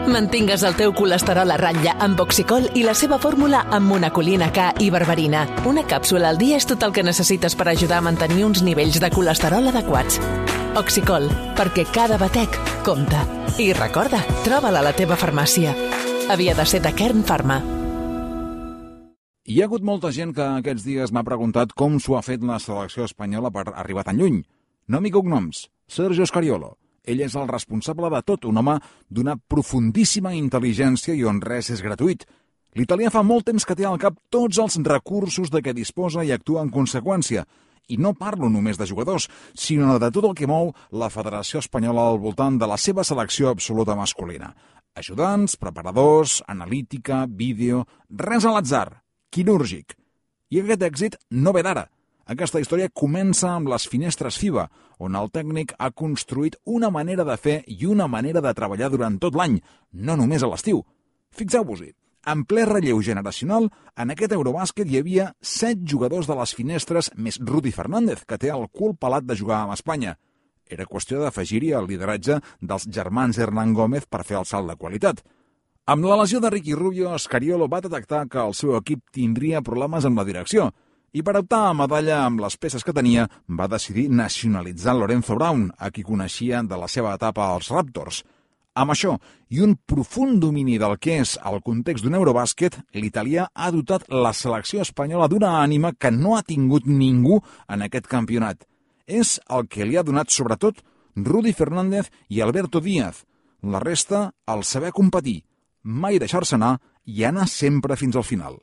Mantingues el teu colesterol a ratlla amb Oxicol i la seva fórmula amb monacolina K i berberina. Una càpsula al dia és tot el que necessites per ajudar a mantenir uns nivells de colesterol adequats. Oxicol, perquè cada batec compta. I recorda, troba-la a la teva farmàcia. Havia de ser de Kern Pharma. Hi ha hagut molta gent que aquests dies m'ha preguntat com s'ho ha fet la selecció espanyola per arribar tan lluny. Nom i cognoms, Sergio Scariolo. Ell és el responsable de tot, un home d'una profundíssima intel·ligència i on res és gratuït. L'italià fa molt temps que té al cap tots els recursos de què disposa i actua en conseqüència. I no parlo només de jugadors, sinó de tot el que mou la Federació Espanyola al voltant de la seva selecció absoluta masculina. Ajudants, preparadors, analítica, vídeo, res a l'atzar. Quirúrgic. I aquest èxit no ve d'ara. Aquesta història comença amb les finestres FIBA, on el tècnic ha construït una manera de fer i una manera de treballar durant tot l'any, no només a l'estiu. Fixeu-vos-hi, en ple relleu generacional, en aquest Eurobàsquet hi havia 7 jugadors de les finestres més Rudy Fernández, que té el cul pelat de jugar amb Espanya. Era qüestió d'afegir-hi el lideratge dels germans Hernán Gómez per fer el salt de qualitat. Amb la lesió de Ricky Rubio, Scariolo va detectar que el seu equip tindria problemes amb la direcció i per optar a medalla amb les peces que tenia va decidir nacionalitzar Lorenzo Brown, a qui coneixia de la seva etapa als Raptors. Amb això i un profund domini del que és el context d'un Eurobàsquet, l'italià ha dotat la selecció espanyola d'una ànima que no ha tingut ningú en aquest campionat. És el que li ha donat sobretot Rudy Fernández i Alberto Díaz. La resta, el saber competir, mai deixar-se anar i anar sempre fins al final.